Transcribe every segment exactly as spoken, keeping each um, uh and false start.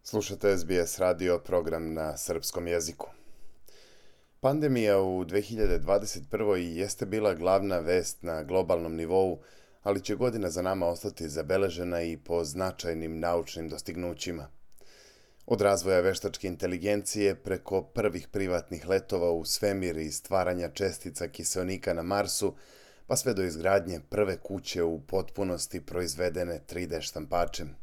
Slušate S B S radio, program na srpskom jeziku. Pandemija u dve hiljade dvadeset prvoj. jeste bila glavna vest na globalnom nivou, ali će godina za nama ostati zabeležena i po značajnim naučnim dostignućima. Od razvoja veštačke inteligencije preko prvih privatnih letova u svemir i stvaranja čestica kiseonika na Marsu, pa sve do izgradnje prve kuće u potpunosti proizvedene tri D štampačem.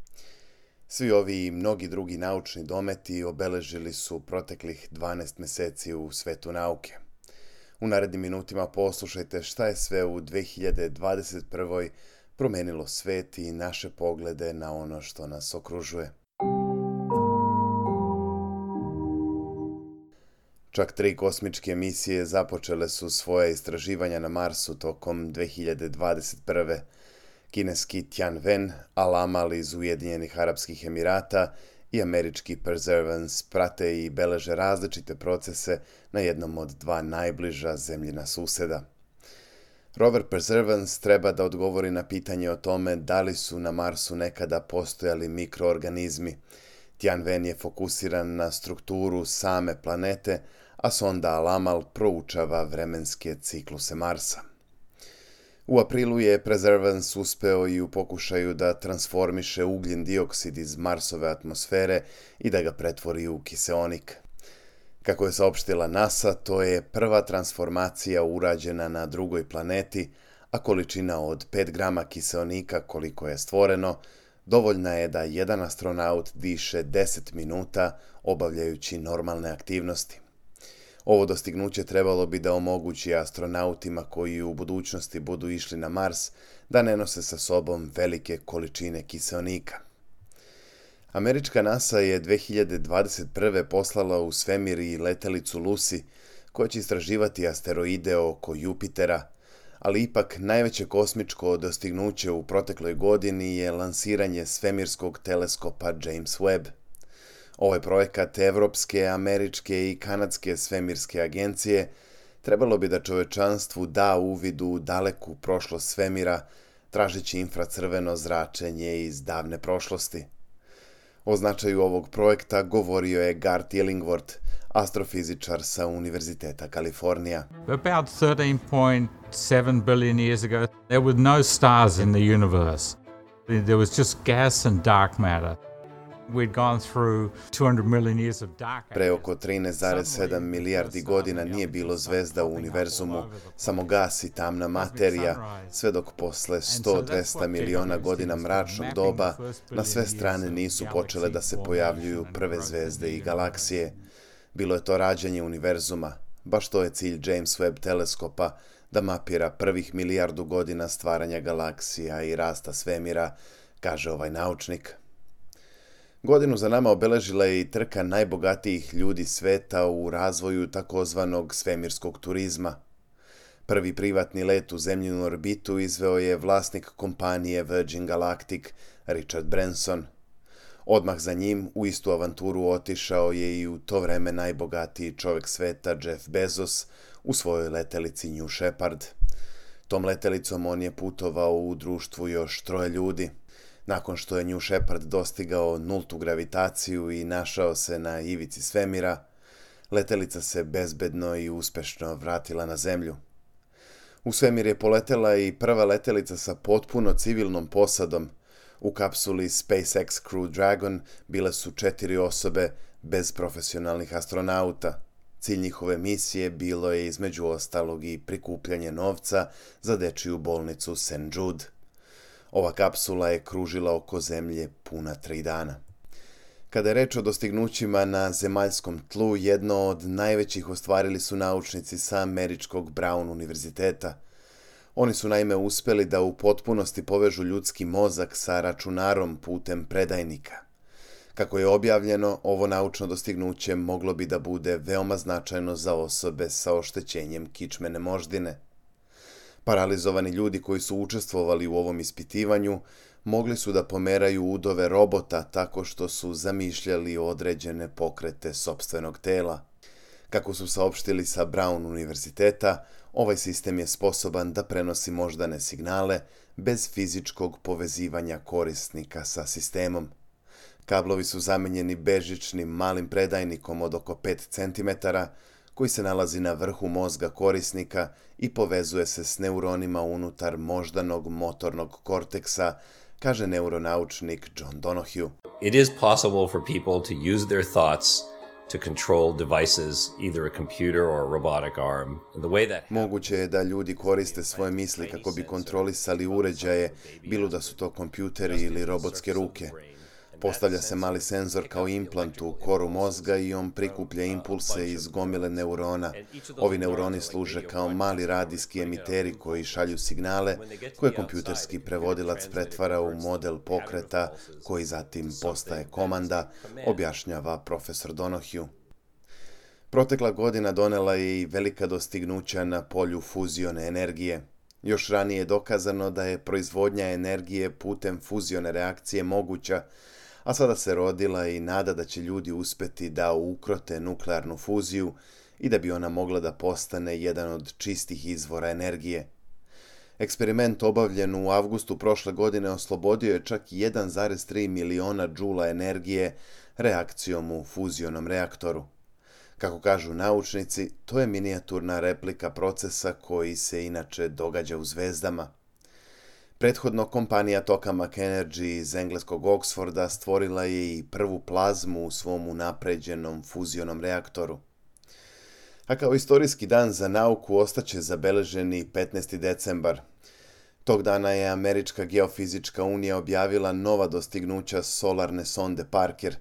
Svi ovi i mnogi drugi naučni dometi obeležili su proteklih dvanaest meseci u svetu nauke. U narednim minutima poslušajte šta je sve u dve hiljade dvadeset prvoj. promenilo svet i naše poglede na ono što nas okružuje. Čak tri kosmičke misije započele su svoje istraživanja na Marsu tokom dve hiljade dvadeset prve. Kineski Tianwen, Al-Amal iz Ujedinjenih Arapskih Emirata i američki Perseverance prate i beleže različite procese na jednom od dva najbliža zemljina suseda. Rover Perseverance treba da odgovori na pitanje o tome da li su na Marsu nekada postojali mikroorganizmi. Tianwen je fokusiran na strukturu same planete, a sonda Al-Amal proučava vremenske cikluse Marsa. U aprilu je Perseverance uspeo i u pokušaju da transformiše ugljen dioksid iz Marsove atmosfere i da ga pretvori u kiseonik. Kako je saopštila NASA, to je prva transformacija urađena na drugoj planeti, a količina od pet grama kiseonika koliko je stvoreno, dovoljna je da jedan astronaut diše deset minuta obavljajući normalne aktivnosti. Ovo dostignuće trebalo bi da omogući astronautima koji u budućnosti budu išli na Mars da ne nose sa sobom velike količine kiseonika. Američka NASA je dve hiljade dvadeset prve. poslala u svemir i letelicu Lucy, koja će istraživati asteroide oko Jupitera, ali ipak najveće kosmičko dostignuće u protekloj godini je lansiranje svemirskog teleskopa James Webb. Ovaj projekat Evropske, Američke i Kanadske svemirske agencije trebalo bi da čovečanstvu da uvid u daleku prošlost svemira, tražeći infracrveno zračenje iz davne prošlosti. O značaju ovog projekta govorio je Garth Illingworth, astrofizičar sa Univerziteta Kalifornija. About thirteen point seven billion years ago, there were no stars in the universe. There was just gas and dark matter. We'd gone through two hundred million years of dark. Pre oko trinaest zarez sedam milijardi godina nije bilo zvezda u univerzumu, samo gas i tamna materija, sve dok posle sto do dvesta miliona godina mračnog doba na sve strane nisu počele da se pojavljuju prve zvezde i galaksije. Bilo je to rađanje univerzuma, baš to je cilj James Webb teleskopa, da mapira prvih milijardu godina stvaranja galaksija i rasta svemira, kaže ovaj naučnik. Godinu za nama obeležila je i trka najbogatijih ljudi sveta u razvoju takozvanog svemirskog turizma. Prvi privatni let u zemljinu orbitu izveo je vlasnik kompanije Virgin Galactic, Richard Branson. Odmah za njim u istu avanturu otišao je i u to vreme najbogatiji čovjek sveta Jeff Bezos u svojoj letelici New Shepard. Tom letelicom on je putovao u društvu još troje ljudi. Nakon što je New Shepard dostigao nultu gravitaciju i našao se na ivici svemira, letelica se bezbedno i uspešno vratila na zemlju. U svemir je poletela i prva letelica sa potpuno civilnom posadom. U kapsuli SpaceX Crew Dragon bile su četiri osobe bez profesionalnih astronauta. Cilj njihove misije bilo je između ostalog i prikupljanje novca za dečiju bolnicu Saint Jude. Ova kapsula je kružila oko zemlje puna tri dana. Kada je reč o dostignućima na zemaljskom tlu, jedno od najvećih ostvarili su naučnici sa američkog Brown univerziteta. Oni su naime uspeli da u potpunosti povežu ljudski mozak sa računarom putem predajnika. Kako je objavljeno, ovo naučno dostignuće moglo bi da bude veoma značajno za osobe sa oštećenjem kičmene moždine. Paralizovani ljudi koji su učestvovali u ovom ispitivanju mogli su da pomeraju udove robota tako što su zamišljali određene pokrete sopstvenog tela. Kako su saopštili sa Brown univerziteta, ovaj sistem je sposoban da prenosi moždane signale bez fizičkog povezivanja korisnika sa sistemom. Kablovi su zamenjeni bežičnim malim predajnikom od oko pet centimetara koji se nalazi na vrhu mozga korisnika i povezuje se s neuronima unutar moždanog motornog korteksa, kaže neuronaučnik John Donohue. It is possible for people to use their thoughts to control devices, either a computer or a robotic arm. And the way that Moguće je da ljudi koriste svoje misli kako bi kontrolisali uređaje, bilo da su to kompjuteri ili robotske ruke. Postavlja se mali senzor kao implant u koru mozga i on prikuplja impulse iz gomile neurona. Ovi neuroni služe kao mali radijski emiteri koji šalju signale koje kompjuterski prevodilac pretvara u model pokreta koji zatim postaje komanda, objašnjava profesor Donohue. Protekla godina donela je i velika dostignuća na polju fuzione energije. Još ranije je dokazano da je proizvodnja energije putem fuzione reakcije moguća, a sada se rodila i nada da će ljudi uspjeti da ukrote nuklearnu fuziju i da bi ona mogla da postane jedan od čistih izvora energije. Eksperiment obavljen u avgustu prošle godine oslobodio je čak jedan zarez tri miliona džula energije reakcijom u fuzionom reaktoru. Kako kažu naučnici, to je minijaturna replika procesa koji se inače događa u zvezdama. Prethodno kompanija Tokamak Energy iz engleskog Oxforda stvorila je i prvu plazmu u svom unapređenom fuzionom reaktoru. A kao istorijski dan za nauku ostaće zabeleženi petnaesti decembar. Tog dana je Američka geofizička unija objavila nova dostignuća solarne sonde Parker.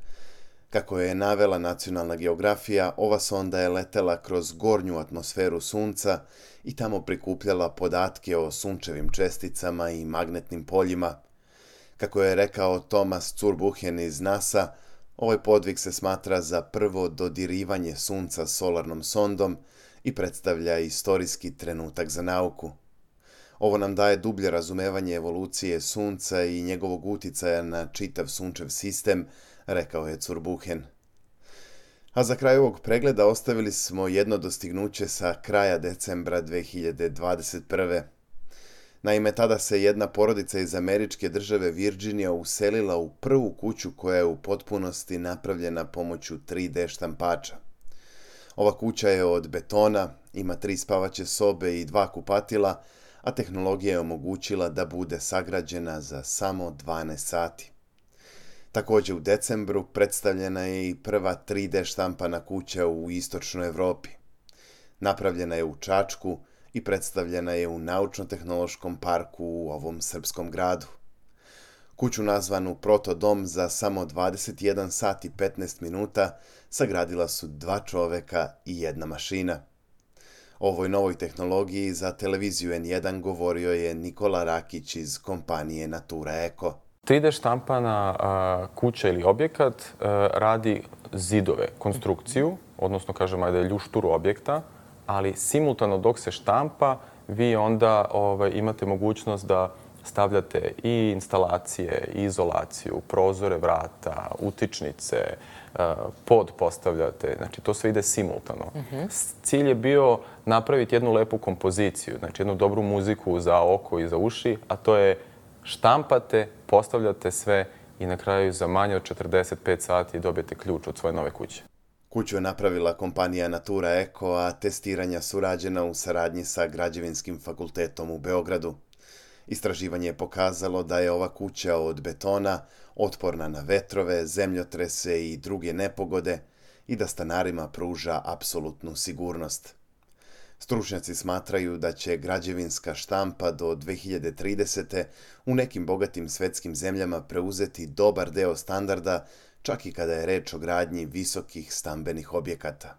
Kako je navela Nacionalna geografija, ova sonda je letela kroz gornju atmosferu Sunca i tamo prikupljala podatke o sunčevim česticama i magnetnim poljima. Kako je rekao Thomas Zurbuchen iz NASA, ovaj podvig se smatra za prvo dodirivanje Sunca solarnom sondom i predstavlja istorijski trenutak za nauku. Ovo nam daje dublje razumevanje evolucije Sunca i njegovog uticaja na čitav sunčev sistem, rekao je Zurbuchen. A za kraj ovog pregleda ostavili smo jedno dostignuće sa kraja decembra dve hiljade dvadeset prve. Naime, tada se jedna porodica iz američke države Virginia uselila u prvu kuću koja je u potpunosti napravljena pomoću tri de štampača. Ova kuća je od betona, ima tri spavaće sobe i dva kupatila, a tehnologija je omogućila da bude sagrađena za samo dvanaest sati. Također u decembru predstavljena je i prva tri de štampana kuća u istočnoj Evropi. Napravljena je u Čačku i predstavljena je u Naučno-tehnološkom parku u ovom srpskom gradu. Kuću nazvanu Protodom za samo dvadeset jedan sat i petnaest minuta sagradila su dva čoveka i jedna mašina. O ovoj novoj tehnologiji za televiziju en jedan govorio je Nikola Rakić iz kompanije Natura Eko. tri de štampana a, kuća ili objekat a, radi zidove, konstrukciju, odnosno kažemo da je ljušturu objekta, ali simultano dok se štampa, vi onda ovaj, imate mogućnost da stavljate i instalacije, i izolaciju, prozore, vrata, utičnice, pod postavljate. Znači, to sve ide simultano. Uh-huh. Cilj je bio napraviti jednu lepu kompoziciju, znači jednu dobru muziku za oko i za uši, a to je štampate, postavljate sve i na kraju za manje od četrdeset pet sati dobijete ključ od svoje nove kuće. Kuću je napravila kompanija Natura Eko, a testiranja su rađena u saradnji sa Građevinskim fakultetom u Beogradu. Istraživanje je pokazalo da je ova kuća od betona otporna na vetrove, zemljotrese i druge nepogode i da stanarima pruža apsolutnu sigurnost. Stručnjaci smatraju da će građevinska štampa do dve hiljade tridesete. u nekim bogatim svetskim zemljama preuzeti dobar deo standarda, čak i kada je reč o gradnji visokih stambenih objekata.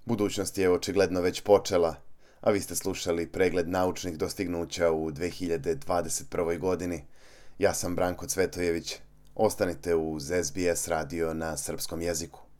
Budućnost je očigledno već počela, a vi ste slušali pregled naučnih dostignuća u dve hiljade dvadeset prvoj. godini. Ja sam Branko Cvetojević. Ostanite uz es be es radio na srpskom jeziku.